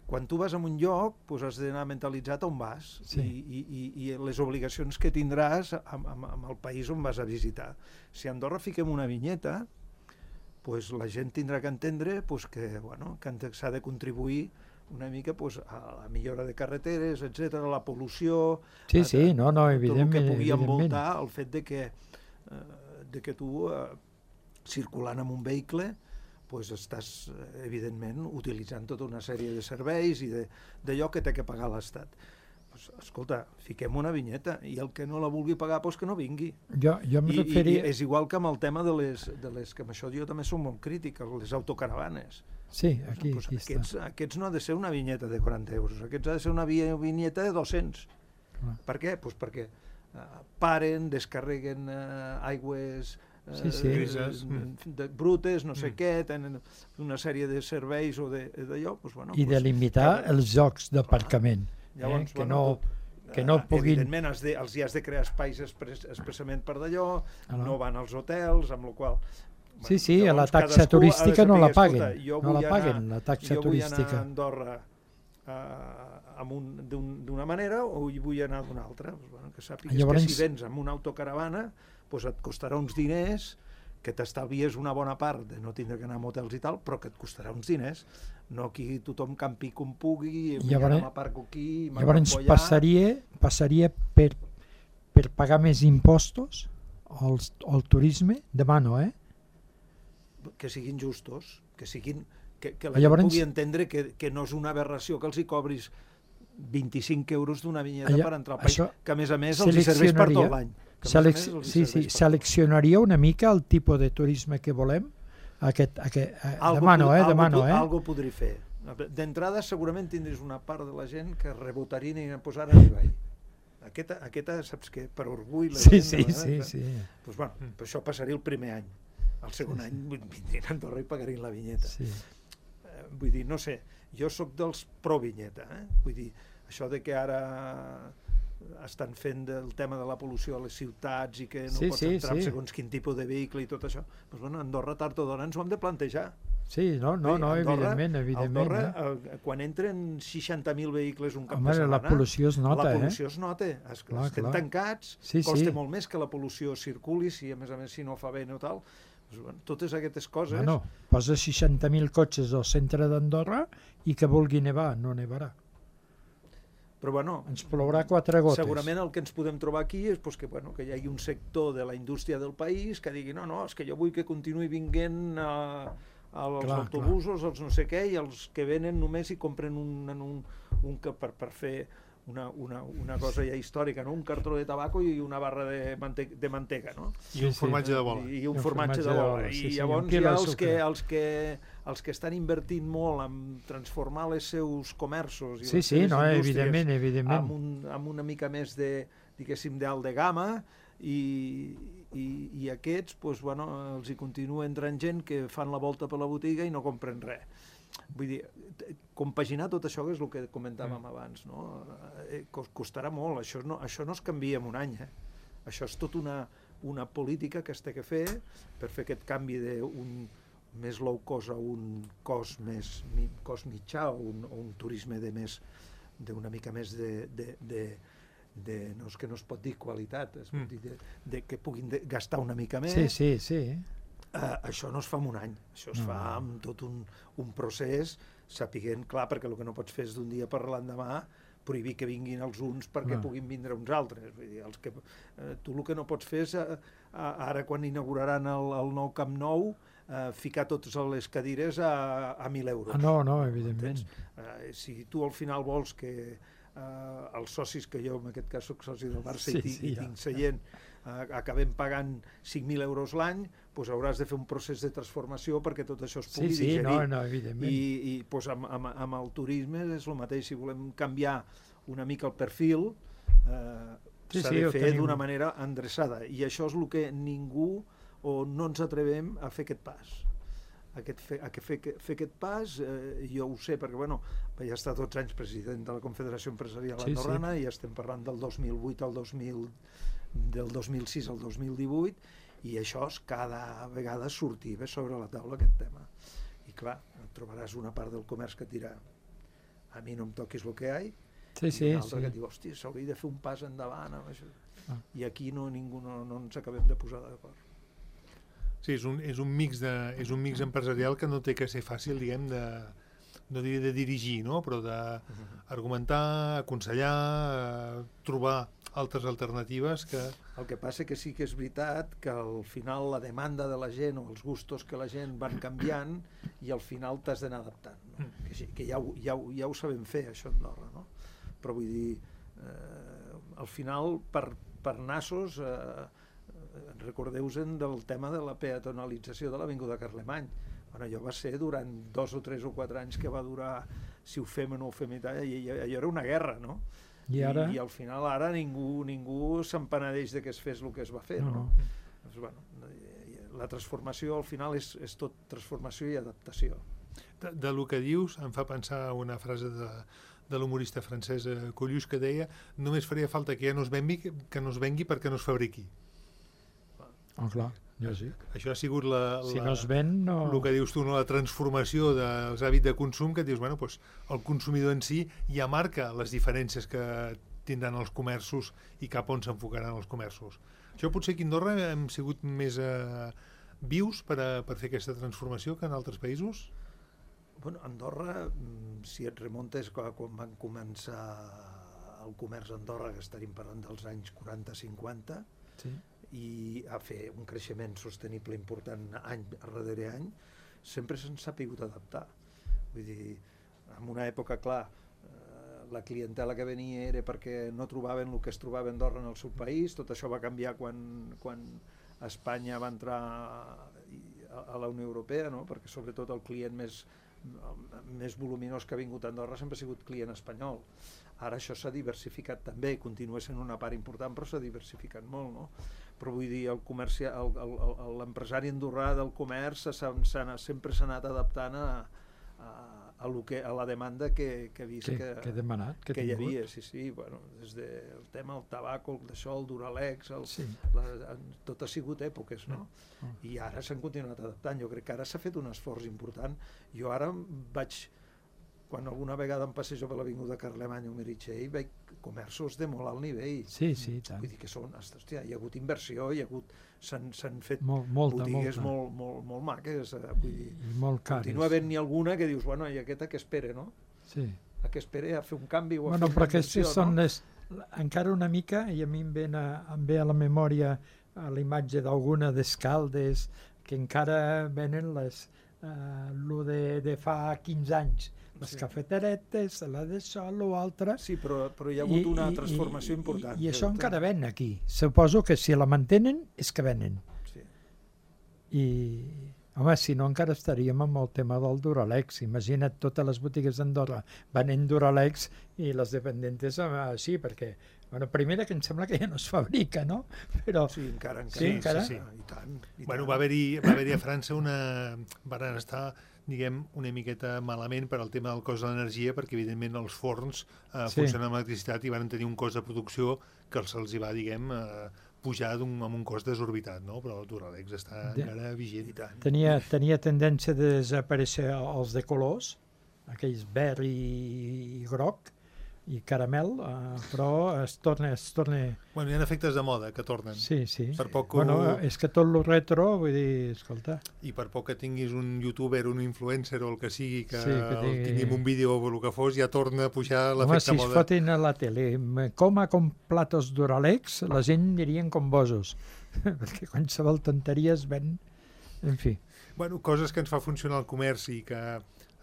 quan tu vas a un lloc, doncs has d'anar mentalitzat on vas, sí. i, i, i les obligacions que tindràs amb, amb, amb el país on vas a visitar. Si a Andorra fiquem una vinyeta, doncs la gent tindrà que entendre doncs, que, bueno, que s'ha de contribuir una mica doncs, a la millora de carreteres, etcètera, a la pol·lució... Sí, a, sí, no, no, evidentment. Tot el que pugui evidentment. envoltar el fet de que, eh, de que tu, eh, circulant amb un vehicle, pues estàs, evidentment, utilitzant tota una sèrie de serveis i d'allò que té que pagar l'Estat. Pues, escolta, fiquem una vinyeta i el que no la vulgui pagar, pues que no vingui. Jo, jo em I, referia... I és igual que amb el tema de les, de les que amb això jo també soc molt crític, les autocaravanes. Sí, aquí, pues, aquí aquests, està. Aquests no ha de ser una vinyeta de quaranta euros, aquests ha de ser una vinyeta de dos-cents. Clar. Per què? Pues perquè uh, paren, descarreguen uh, aigües... Sí, sí. De, de brutes, no sé mm. què, tenen una sèrie de serveis o d'allò, doncs, bueno, i pues, de limitar que, els jocs d'aparcament, eh, que, bueno, no, que no puguin... Evidentment, els, de, els hi has de crear espais expres, expressament per d'allò, ah, no. no van als hotels, amb la qual... Bueno, sí, sí, a la taxa turística no la paguen, no la paguen, la taxa jo turística. Jo vull anar a Andorra uh, d'una manera o hi vull anar d'una altra. Pues, bueno, que sàpigues Llavors... que si vens amb una autocaravana pues et costarà uns diners, que t'estalvies una bona part de no tindre que anar a motels i tal, però que et costarà uns diners. No aquí tothom campi com pugui, i llavors, m'aparco aquí, llavors passaria, passaria per, per pagar més impostos al, al turisme? Demano, eh? Que siguin justos, que siguin... Que, que la llavors... gent pugui entendre que, que no és una aberració que els hi cobris vint-i-cinc euros d'una vinyeta Allà, per entrar al país, que a més a més els hi serveix per tot l'any. Selec sí, sí, seleccionaria una mica el tipus de turisme que volem? Aquest, aquest, eh, algo demano, eh, algo, demano, eh? Algo podré fer. D'entrada segurament tindries una part de la gent que rebotarien i posar a nivell. Aquesta, aquesta, saps què? Per orgull... La sí, gent, sí, sí, sí. Pues bueno, mm. això passaria el primer any. El segon sí, sí. any vindrien a Andorra i pagarien la vinyeta. Sí. Eh, vull dir, no sé, jo sóc dels pro-vinyeta, eh? Vull dir, això de que ara estan fent el tema de la pol·lució a les ciutats i que no sí, pots sí, entrar sí. en segons quin tipus de vehicle i tot això, doncs bueno, a Andorra tard o d'hora ens ho hem de plantejar. Sí, no, no, no, Andorra, evidentment, evidentment. Andorra, eh? quan entren seixanta mil vehicles un cap Home, de setmana... la pol·lució es nota, eh? La pol·lució eh? es nota. Es, clar, estem clar. tancats, sí, costa sí. molt més que la pol·lució circuli, si a més a més si no fa bé o tal. Doncs, bueno, totes aquestes coses... No, no, posa seixanta mil cotxes al centre d'Andorra i que vulgui nevar, no nevarà. Però bueno, ens plourà quatre gotes. Segurament el que ens podem trobar aquí és pues, que, bueno, que hi hagi un sector de la indústria del país que digui no, no, és que jo vull que continuï vinguent a, als clar, autobusos, clar. Els no sé què, i els que venen només i compren un, un, un que per, per fer una, una, una cosa ja històrica, no? Un cartró de tabaco i una barra de, mante de mantega, no? I un formatge de bola. I, i un, un formatge, formatge de bola. I sí, sí, llavors hi ha els que, els, que, els que estan invertint molt en transformar els seus comerços i sí, les sí, seves no, indústries evidentment, evidentment. Amb, un, amb una mica més de, diguéssim, d'alt de gamma, i, i, i aquests, doncs, bueno, els hi continua entrant gent que fan la volta per la botiga i no compren res. Vull dir, compaginar tot això, que és el que comentàvem mm. abans, no? Eh, costarà molt, això no, això no es canvia en un any, eh? Això és tot una, una política que es té que fer per fer aquest canvi d'un més low cost a un cost més cost mitjà o un, o un turisme de més d'una mica més de, de, de, de no és que no es pot dir qualitat, es pot mm. dir de, de que puguin de, gastar una mica més. Sí, sí, sí. Uh, això no es fa en un any, això es no. fa amb tot un, un procés, sapiguent, clar, perquè el que no pots fer és d'un dia per l'endemà prohibir que vinguin els uns perquè no. puguin vindre uns altres. Vull dir, els que, uh, tu el que no pots fer és, uh, uh, ara quan inauguraran el, el nou Camp Nou, uh, ficar totes les cadires a, a mil euros. Ah, no, no, evidentment. Uh, si tu al final vols que uh, els socis, que jo en aquest cas soc soci del Barça sí, i, sí, i ja. tinc seient, uh, acabem pagant cinc mil euros l'any, doncs hauràs de fer un procés de transformació perquè tot això es pugui sí, sí, digerir. No, no, evidentment. I, i doncs amb, amb, amb el turisme és el mateix, si volem canviar una mica el perfil, eh, sí, s'ha sí, de fer tenim... d'una manera endreçada, i això és el que ningú o no ens atrevem a fer aquest pas. Aquest fe, a que fer, fer aquest pas, eh, jo ho sé, perquè bueno, vaig estar dotze anys president de la Confederació Empresarial sí, Andorrana sí. i estem parlant del dos mil vuit al dos mil, del dos mil sis al dos mil divuit, i això és cada vegada sortir bé sobre la taula aquest tema. I clar, trobaràs una part del comerç que et dirà a mi no em toquis el que hi ha, sí, sí, i una altra sí. que et diu, hòstia, s'hauria de fer un pas endavant amb això. Ah. I aquí no, ningú no, no ens acabem de posar d'acord. Sí, és un, és un mix de, és un mix empresarial que no té que ser fàcil, diguem, de, no diria de dirigir, no? Però d'argumentar, aconsellar, trobar altres alternatives que... El que passa que sí que és veritat que al final la demanda de la gent o els gustos que la gent van canviant i al final t'has d'anar adaptant, no? Que, sí, que ja, ho, ja, ho, ja ho sabem fer, això a Andorra, no? Però vull dir, eh, al final, per, per nassos, eh, recordeu-vos del tema de la peatonalització de l'Avinguda Carlemany. Bueno, allò va ser durant dos o tres o quatre anys que va durar si ho fem o no ho fem i tal, i allò era una guerra, no? I, ara... I, i al final ara ningú, ningú s'empenedeix de que es fes el que es va fer, no? no? no. Doncs, bueno, la transformació al final és, és tot transformació i adaptació. De, de lo que dius em fa pensar una frase de, de l'humorista francès Coluche que deia només faria falta que ja no es vengui, que no es vengui perquè no es fabriqui. Oh, clar, lògic. Això ha sigut la, si la, no es ven, no... el que dius tu, no? La transformació dels hàbits de consum, que dius, bueno, doncs, el consumidor en si ja marca les diferències que tindran els comerços i cap on s'enfocaran els comerços. Això potser aquí a Andorra hem sigut més eh, vius per, a, per fer aquesta transformació que en altres països? Bueno, Andorra, si et remontes quan van començar el comerç a Andorra, que estaríem parlant dels anys quaranta cinquanta, sí. i a fer un creixement sostenible important any darrere any, sempre se'n s'ha pogut adaptar. Vull dir, en una època, clar, eh, la clientela que venia era perquè no trobaven el que es trobava a Andorra en el seu país. Tot això va canviar quan, quan Espanya va entrar a, a la Unió Europea, no? Perquè sobretot el client més, més voluminós que ha vingut a Andorra sempre ha sigut client espanyol. Ara això s'ha diversificat també, continua sent una part important, però s'ha diversificat molt, no? Però vull dir, el comerci, l'empresari andorrà del comerç s'ha, s'ha, sempre s'ha anat adaptant a, a, a, lo que, a la demanda que, que ha vist que, que, que, demanat, que, que hi havia, sí, sí, bueno, des del tema del tabaco, el d'això, el Duralex, el, sí. la, tot ha sigut èpoques, no? Mm. I ara s'han continuat adaptant, jo crec que ara s'ha fet un esforç important. Jo ara vaig, quan alguna vegada em passejo per l'avinguda Carlemany o Meritxell, veig comerços de molt alt nivell. Sí, sí, tant. Vull dir que són, hòstia, hi ha hagut inversió, hi ha hagut, s'han, s'han fet Mol, molta, botigues molta. molt, molt, molt maques. Eh, vull dir, I molt cares. continua havent-hi alguna que dius, bueno, i aquesta que espera, no? Sí. A què espera a fer un canvi o a Bueno, fer però una inversió, aquestes són no? les, encara una mica, i a mi em, ven a, em ve a la memòria a la imatge d'alguna d'Escaldes, que encara venen les, eh, lo de, de fa quinze anys, les Sí. cafeteretes, la d'això, l'altre. Sí, però, però hi ha hagut una transformació i, important. I, i això encara ven aquí. Suposo que si la mantenen és que venen. Sí. I, home, si no encara estaríem amb el tema del Duralex. Imagina't totes les botigues d'Andorra venent Duralex i les dependentes així, perquè, bueno, primera que em sembla que ja no es fabrica, no? Però Sí, encara, encara. Sí, encara? Sí, sí. I tant, i Bueno, tant. va haver-hi va haver a França una... van estar, diguem, una miqueta malament per al tema del cost de l'energia, perquè evidentment els forns eh, Sí. funcionen amb electricitat i van tenir un cost de producció que se'ls hi va, diguem, eh, pujar un, amb un cost desorbitat, no? Però el Duralex està De- encara vigent. I tant. tenia, tenia tendència de desaparèixer els de colors, aquells verd i, i groc i caramel, eh, però es torna, es torna... Bueno, hi ha efectes de moda que tornen. Sí, sí. Per poc que Bueno, ho- és que tot lo retro, vull dir, escolta... I per poc que tinguis un youtuber, un influencer o el que sigui, que, Sí, que el tingui- tingui en un vídeo o el que fos, ja torna a pujar Home, l'efecte si es moda. fotin a la tele, me coma con platos Duralex, la gent anirien com bosos, perquè qualsevol tonteria es ven... En fi, Bueno, coses que ens fa funcionar el comerç i que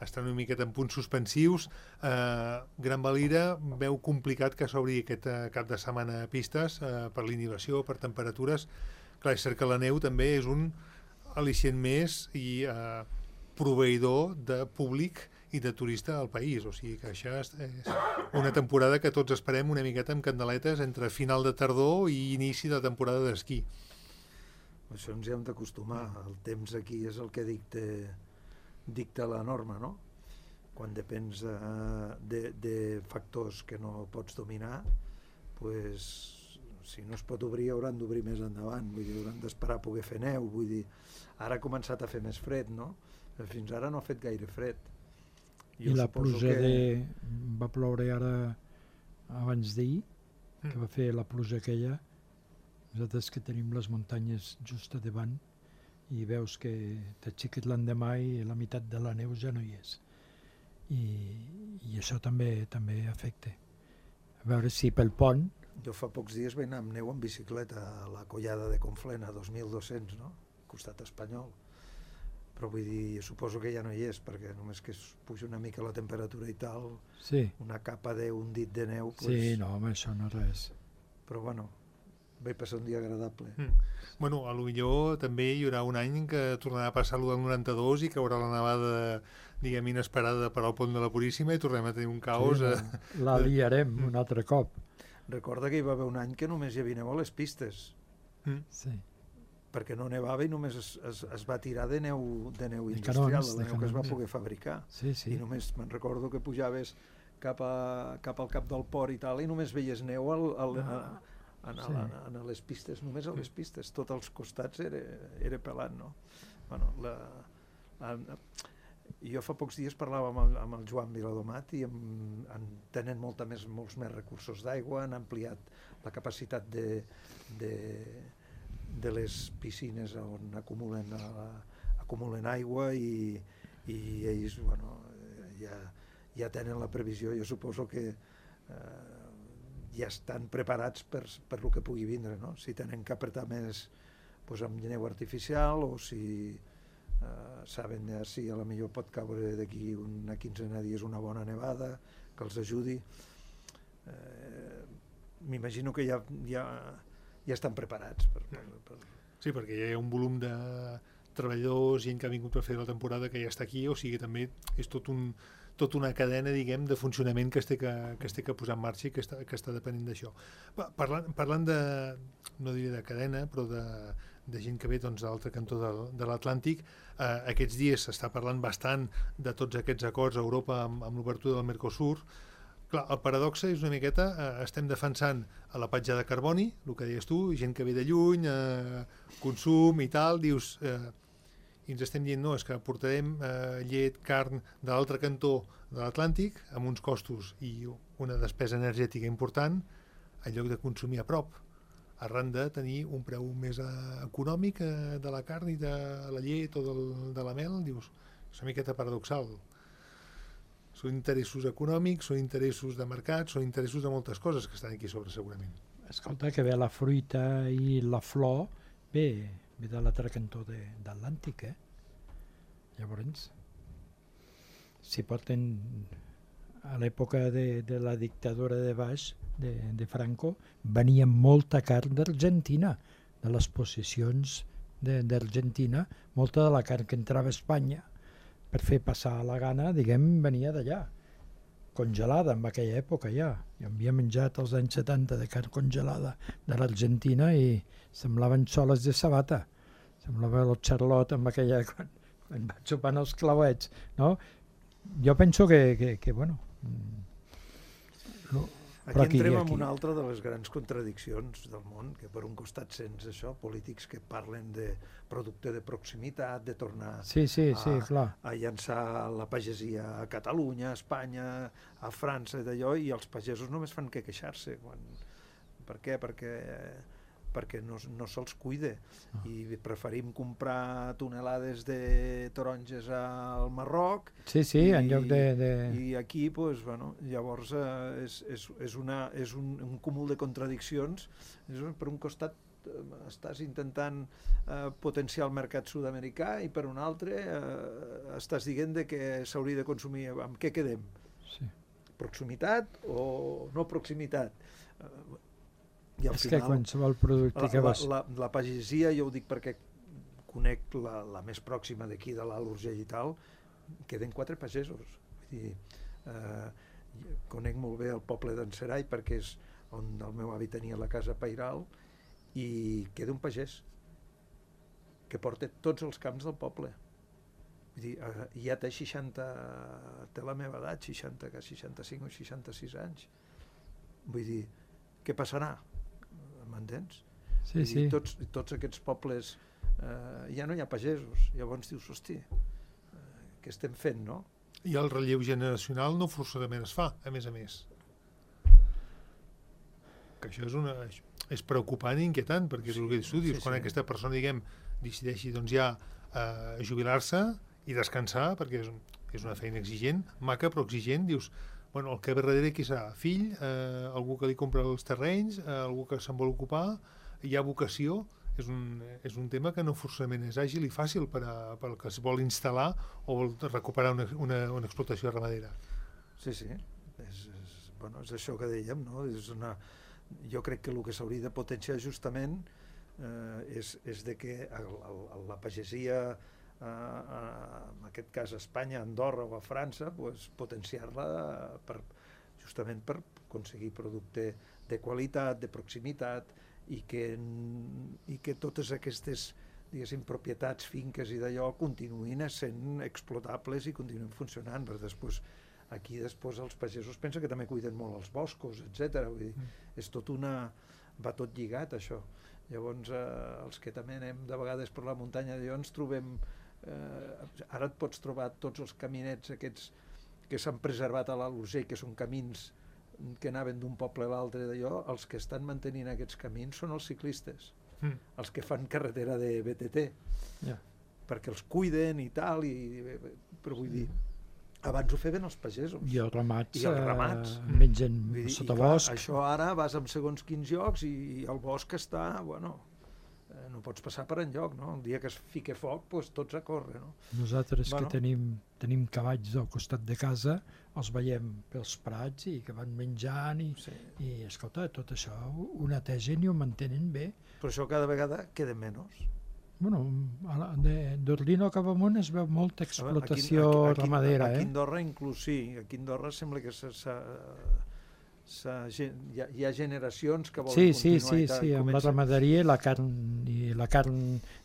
estan una miqueta en punts suspensius. Eh, Gran Valira veu complicat que s'obri aquest eh, cap de setmana a pistes eh, per l'inhibició, per temperatures. Clar, és cert que la neu també és un al·licient més i eh, proveïdor de públic i de turista al país, o sigui que això és és una temporada que tots esperem una miqueta amb candeletes entre final de tardor i inici de temporada d'esquí. Això ens hi hem d'acostumar. El temps aquí és el que dicta, dicta la norma, no? Quan depens de, de, de factors que no pots dominar, pues, si no es pot obrir hauran d'obrir més endavant, vull dir, hauran d'esperar a poder fer neu, vull dir, ara ha començat a fer més fred, no? Fins ara no ha fet gaire fred. i la pluja que... de... va ploure ara abans d'ahir, que va fer la pluja aquella. Nosaltres que tenim les muntanyes just a davant i veus que t'aixeques l'endemà i la meitat de la neu ja no hi és. I, i això també també afecta. A veure si pel pont... Jo fa pocs dies vaig anar amb neu en bicicleta a la collada de Conflent, a dos mil dos-cents, no? Costat espanyol. Però vull dir, suposo que ja no hi és, perquè només que es puja una mica la temperatura i tal, Sí, una capa d'un dit de neu, pues... sí, no, home, això no és res. Però bueno, vaig passar un dia agradable. Mm. Bueno, a lo millor també hi haurà un any que tornarà a passar l'u del noranta-dos i que haurà la nevada, diguem, inesperada per al pont de la Puríssima i tornem a tenir un caos. Sí, eh? la, la liarem un altre cop. Recorda que hi va haver un any que només hi havia neu a les pistes, Mm. Sí. perquè no nevava i només es, es, es va tirar de neu, de neu De industrial, canons, de de la neu que es va canons. poder fabricar. Sí, sí. I només me'n recordo que pujaves cap, a, cap al cap del port i tal, i només veies neu al, al, a, a, a, Sí. a, a les pistes, només a les pistes, tots els costats era, era pelat, no? Bueno, la, a, jo fa pocs dies parlava amb el, amb el Joan Viladomat i amb, en, tenen molta més, molts més recursos d'aigua, han ampliat la capacitat de, de, de les piscines on acumulen, a, acumulen aigua i, i ells, bueno, ja, ja tenen la previsió, jo suposo que eh, ja estan preparats per, per el que pugui vindre, no? Si tenen que apretar més pues, amb neu artificial o si eh, saben ja si a la millor pot caure d'aquí una quinzena de dies una bona nevada que els ajudi. Eh, M'imagino que ja, ja, ja estan preparats per, per, per... Sí, perquè hi ha un volum de, treballadors, gent que ha vingut per fer la temporada que ja està aquí, o sigui, també és tot un, tota una cadena, diguem, de funcionament que es té que, que, es té que posar en marxa i que està, que està depenent d'això. Parlant, parlant de, no diré de cadena, però de, de gent que ve doncs, de l'altre cantó de, de l'Atlàntic, eh, aquests dies s'està parlant bastant de tots aquests acords a Europa amb, amb l'obertura del Mercosur. Clar, el paradoxe és una miqueta, eh, estem defensant a la petjada de carboni, el que deies tu, gent que ve de lluny, eh, consum i tal, dius... Eh, i ens estem dient, no, és que portarem eh, llet, carn de l'altre cantó de l'Atlàntic amb uns costos i una despesa energètica important en lloc de consumir a prop, arran de tenir un preu més eh, econòmic eh, de la carn i de la llet o del, de la mel, dius, és una miqueta paradoxal. Són interessos econòmics, són interessos de mercat, són interessos de moltes coses que estan aquí sobre, segurament. Escolta, que ve la fruita i la flor, bé, ve de l'altre cantó de, d'Atlàntic, eh? Llavors, si porten a l'època de, de la dictadura de Baix, de, de Franco, venia molta carn d'Argentina, de les possessions d'Argentina, molta de la carn que entrava a Espanya per fer passar la gana, diguem, venia d'allà, congelada en aquella època ja. Jo havia menjat als anys setanta de carn congelada de l'Argentina i semblaven soles de sabata. Semblava el Charlotte amb aquella... Quan, quan va xupant els clauets, no? Jo penso que, que, que bueno... No, aquí, aquí entrem en una altra de les grans contradiccions del món, que per un costat sents això, polítics que parlen de producte de proximitat, de tornar sí, sí, a, sí, clar. a llançar la pagesia a Catalunya, a Espanya, a França, d'allò, i els pagesos només fan que queixar-se. Quan... Per què? Perquè... perquè no, no se'ls cuida i preferim comprar tonelades de taronges al Marroc sí, sí, i, en lloc de, de... i aquí pues, bueno, llavors eh, és, és, és, una, és un, un cúmul de contradiccions. Per un costat eh, estàs intentant eh, potenciar el mercat sud-americà i per un altre eh, estàs dient de que s'hauria de consumir. Amb què quedem? Sí. Proximitat o no proximitat? Eh, I al és final, que qualsevol producte la, que vas... La, la, la pagesia, jo ho dic perquè conec la, la més pròxima d'aquí, de l'Alt Urgell i tal, queden quatre pagesos. Vull dir, eh, conec molt bé el poble d'en Serai perquè és on el meu avi tenia la casa pairal i queda un pagès que porta tots els camps del poble. Vull dir, eh, ja té seixanta, té la meva edat, seixanta, seixanta-cinc o seixanta-sis anys. Vull dir, què passarà? M'entens? Sí, sí. Tots, tots aquests pobles eh, ja no hi ha pagesos, llavors dius, hosti, eh, què estem fent, no? I el relleu generacional no forçosament es fa, a més a més. Que això és, una, és preocupant i inquietant, perquè és sí, el que tu dius, sí, quan sí. aquesta persona, diguem, decideixi doncs, ja eh, jubilar-se i descansar, perquè és, és una feina exigent, maca però exigent, dius, bueno, el que ve darrere qui serà? Fill, eh, algú que li compra els terrenys, eh, algú que se'n vol ocupar, hi ha vocació, és un, és un tema que no forçament és àgil i fàcil per, a, per al que es vol instal·lar o vol recuperar una, una, una explotació ramadera. Sí, sí, és, és, bueno, és això que dèiem, no? És una, jo crec que el que s'hauria de potenciar justament eh, és, és de que el, el, la pagesia Uh, uh, en aquest cas a Espanya, a Andorra o a França, pues, potenciar-la per, justament per aconseguir producte de qualitat, de proximitat i que, i que totes aquestes diguéssim, propietats, finques i d'allò continuïn sent explotables i continuïn funcionant, perquè després aquí després els pagesos pensen que també cuiden molt els boscos, etcètera. Vull dir, mm. és tot una... va tot lligat això. Llavors eh, els que també anem de vegades per la muntanya d'allò ens trobem Eh, ara et pots trobar tots els caminets aquests que s'han preservat a l'Alt Urgell, que són camins que anaven d'un poble a l'altre d'allò, els que estan mantenint aquests camins són els ciclistes, mm. els que fan carretera de B T T, yeah. perquè els cuiden i tal, i, però vull dir, abans ho feien els pagesos. I els ramats, I els ramats. Eh, mengen sota bosc. Això ara vas amb segons quins llocs i el bosc està, bueno... no pots passar per enlloc, no? El dia que es fique foc, doncs tots a córrer, no? Nosaltres bueno. que tenim, tenim cavalls al costat de casa, els veiem pels prats i que van menjant i, sí. i escolta, tot això ho netegen i ho mantenen bé. Però això cada vegada queda menys. Bueno, a la- de- d'Ordino cap amunt es veu molta explotació Aquí- aquí- ramadera, Aquí a eh? Andorra inclús sí, aquí a Andorra sembla que s'ha... s'ha- s'ha gen- hi, ha, hi ha generacions que volen Sí, sí, continuar sí, i tal, sí, i amb la comença- ramaderia i la carn, i la carn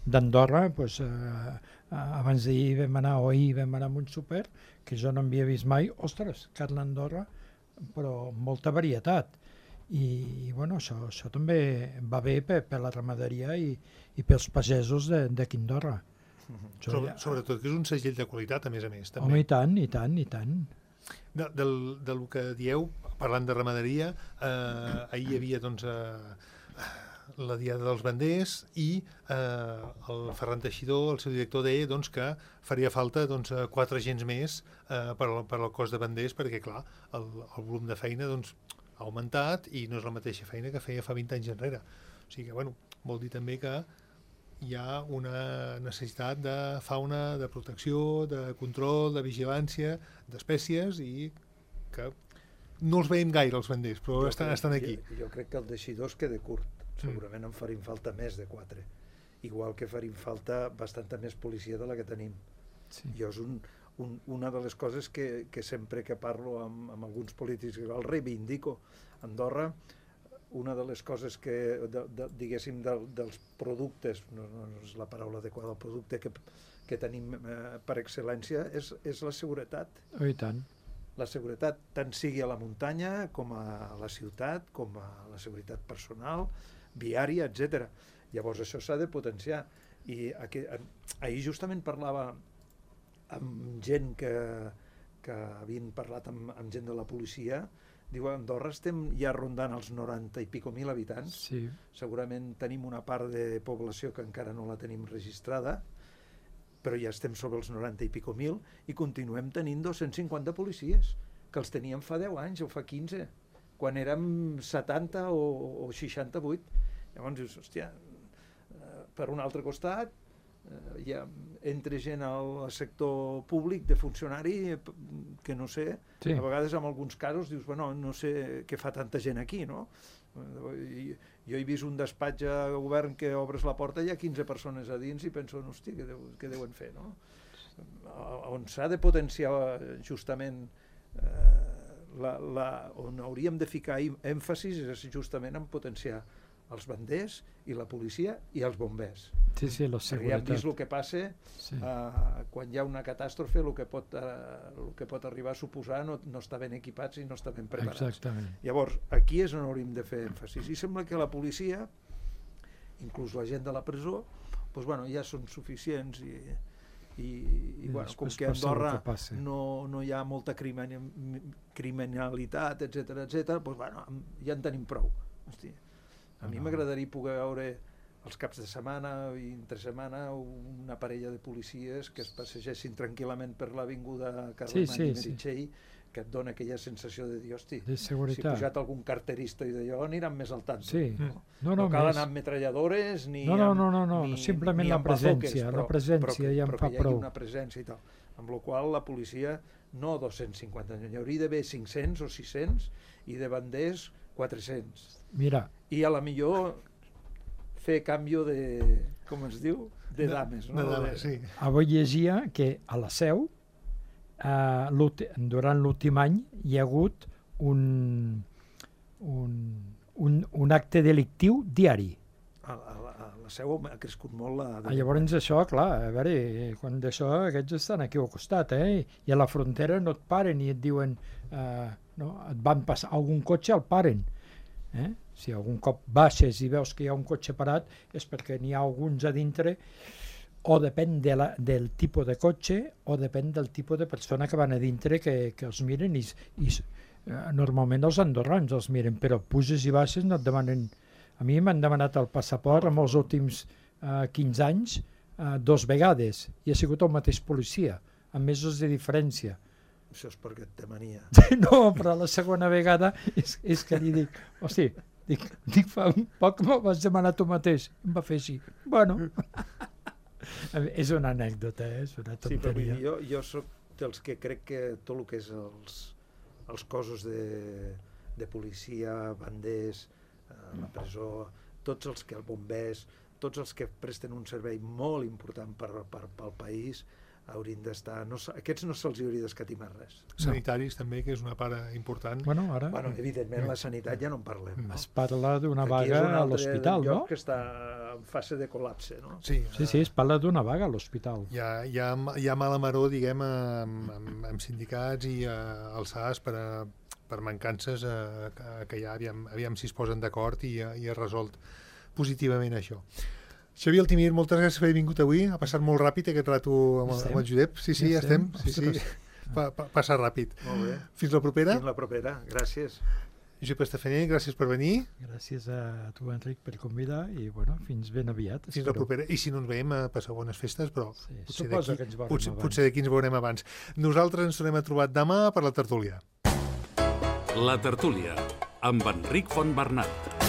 d'Andorra, pues, eh, abans d'ahir vam anar, o ahir vam anar a un súper, que jo no havia vist mai, ostres, carn d'Andorra, però amb molta varietat. I, i bueno, això, això també va bé per, per la ramaderia i, i pels pagesos de- d'aquí a Andorra. Això Sobre, ja- sobretot que és un segell de qualitat, a més a més. Home, També. i tant, i tant, i tant. De, del, del que dieu, parlant de ramaderia, eh, ahir hi havia doncs, eh, la Diada dels Banders i eh, el Ferran Teixidor, el seu director, deia doncs, que faria falta doncs, eh, quatre agents més eh, per, al, per al cos de banders perquè, clar, el, el volum de feina doncs, ha augmentat i no és la mateixa feina que feia fa vint anys enrere. O sigui que, bueno, vol dir també que hi ha una necessitat de fauna, de protecció, de control, de vigilància, d'espècies i que no els veiem gaire els banders, però Jo estan, crec- estan aquí. Jo, jo crec que el deixidor es queda curt. Segurament en farin falta més de quatre. Igual que farin falta bastanta més policia de la que tenim. Sí. Jo és un, un, una de les coses que, que sempre que parlo amb, amb alguns polítics el reivindico. Andorra, una de les coses que, de, de, diguéssim, de, dels productes, no, no és la paraula adequada, el producte que, que tenim eh, per excel·lència és, és la seguretat. Oh, i tant. La seguretat tant sigui a la muntanya com a la ciutat, com a la seguretat personal, viària, etcètera. Llavors això s'ha de potenciar. I aquí, ahir justament parlava amb gent que, que havien parlat amb, amb gent de la policia. Diu, a Andorra estem ja rondant els noranta i pico mil habitants. Sí. Segurament tenim una part de població que encara no la tenim registrada, però ja estem sobre els noranta i pico mil i continuem tenint dos-cents cinquanta policies, que els teníem fa deu anys o fa quinze, quan érem setanta o, o seixanta-vuit. Llavors dius, hòstia, per un altre costat, eh, hi ha, entre gent al sector públic de funcionari que no sé, Sí. a vegades en alguns casos dius, bueno, no sé què fa tanta gent aquí, no? I, jo he vist un despatx a govern que obres la porta i hi ha quinze persones a dins i penso, hosti, què, deu, què deuen fer, no? On s'ha de potenciar justament eh, la, la, on hauríem de ficar èmfasis és justament en potenciar els banders i la policia i els bombers. Sí, sí, la Perquè ja hem seguretat. vist el que passa Sí. eh, quan hi ha una catàstrofe, el que pot, eh, el que pot arribar a suposar no, no està ben equipats i no està ben preparats. Exactament. Llavors, aquí és on hauríem de fer èmfasis. I sembla que la policia, inclús la gent de la presó, doncs, bueno, ja són suficients i, i, i I bueno, com després que a passa el Andorra que passa. no, no hi ha molta crimen, criminalitat, etcètera, etcètera, doncs, bueno, ja en tenim prou. Hosti, a mi No. m'agradaria poder veure els caps de setmana i entre setmana una parella de policies que es passegessin tranquil·lament per l'avinguda Carlemany Sí, sí, i sí. Meritxell, que et dona aquella sensació de dir, hosti, De si ha seguretat. pujat algun carterista i d'allò aniran més al tanto. Sí. No, No, no no, cal més. anar amb metralladores ni No, no, amb, no, no, no, ni, simplement ni la amb bazoques, presència, la però, presència però que, ja em però fa que hi hagi prou. una presència i tal. Amb la qual la policia, no dos-cents cinquanta, n'hi hauria d'haver cinc-cents o sis-cents i de banders quatre-cents. Mira, I a la millor fer canvi de, com es diu, de dames. No? De dames, sí. avui llegia que a la Seu, eh, l'últi- durant l'últim any, hi ha hagut un, un, un, un acte delictiu diari. A, a, la- a la Seu ha crescut molt la... Ah, llavors això, clar, a veure, quan d'això aquests estan aquí al costat, eh? I a la frontera no et paren i et diuen, eh, no, et van passar algun cotxe, el paren. Eh? Si algun cop baixes i veus que hi ha un cotxe parat és perquè n'hi ha alguns a dintre, o depèn de la, del tipus de cotxe o depèn del tipus de persona que van a dintre que, que els miren i, i eh, normalment els andorrans els miren, però puges i baixes no et demanen. A mi m'han demanat el passaport en els últims eh, quinze anys eh, dos vegades i ha sigut el mateix policia, amb mesos de diferència. Això és perquè et té mania. No, però la segona vegada és, és que li dic, hosti, dic, dic fa un poc que me'l vas demanar tu mateix. Em va fer així. Bueno, és una anècdota, eh? És una Sí, però vull tonteria. dir, jo, jo soc dels que crec que tot el que és els, els cossos de, de policia, banders, eh, la presó, tots els que el bombers, tots els que presten un servei molt important per, per, pel país haurien d'estar... No, aquests no se'ls hauria d'escatimar res. Sanitaris també, que és una part important. Bueno, ara... Bueno, evidentment, la sanitat ja no en parlem. No? Es parla d'una vaga a l'hospital, no? que està en fase de col·lapse, no? Sí, sí, sí, es parla d'una vaga a l'hospital. Hi ha, hi, ha, hi ha mala maror, diguem, amb, amb, amb sindicats i uh, els S A S per, a, per mancances uh, que, que hi ha, aviam, aviam si es posen d'acord i, uh, i es resolt positivament això. Xavier Altimir, moltes gràcies per haver vingut avui. Ha passat molt ràpid aquest rato amb, amb el Josep. Sí, sí, ja estem. Sí, sí. Pa, pa, passa ràpid. Molt bé. Fins la propera. Fins la propera. Gràcies. Josep Estafaner, gràcies per venir. Gràcies a tu, Enric, per convidar i, bueno, fins ben aviat. Fins espero. La propera. I si no ens veiem, passeu bones festes, però sí, potser d'aquí potser, potser d'aquí ens veurem abans. Nosaltres ens tornem a trobar demà per la tertúlia. La tertúlia, amb Enric Fontbernat.